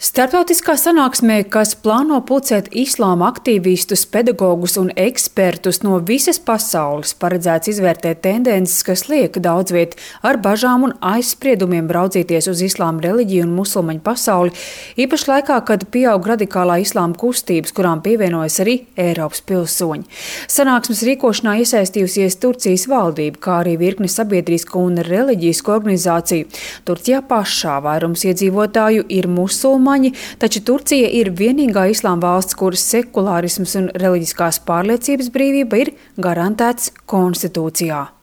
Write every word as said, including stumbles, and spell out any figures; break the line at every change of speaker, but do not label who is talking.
Starptautiskā sanāksmē, kas plāno pulcēt islāma aktīvistus, pedagogus un ekspertus no visas pasaules, paredzēts izvērtēt tendences, kas liek daudz viet ar bažām un aizspriedumiem raudzīties uz islāma reliģiju un musulmaņu pasauli, īpaši laikā, kad pieaug radikālā islāma kustības, kurām pievienojas arī Eiropas pilsoņi. Sanāksmes rīkošanā iesaistījusies Turcijas valdība, kā arī virkne sabiedrisko un reliģisku organizāciju. Turcijā pašā vairums iedzīvotāju ir musulmaņi, taču Turcija ir vienīgā islāma valsts, kuras sekulārisms un reliģiskās pārliecības brīvība ir garantēts konstitūcijā.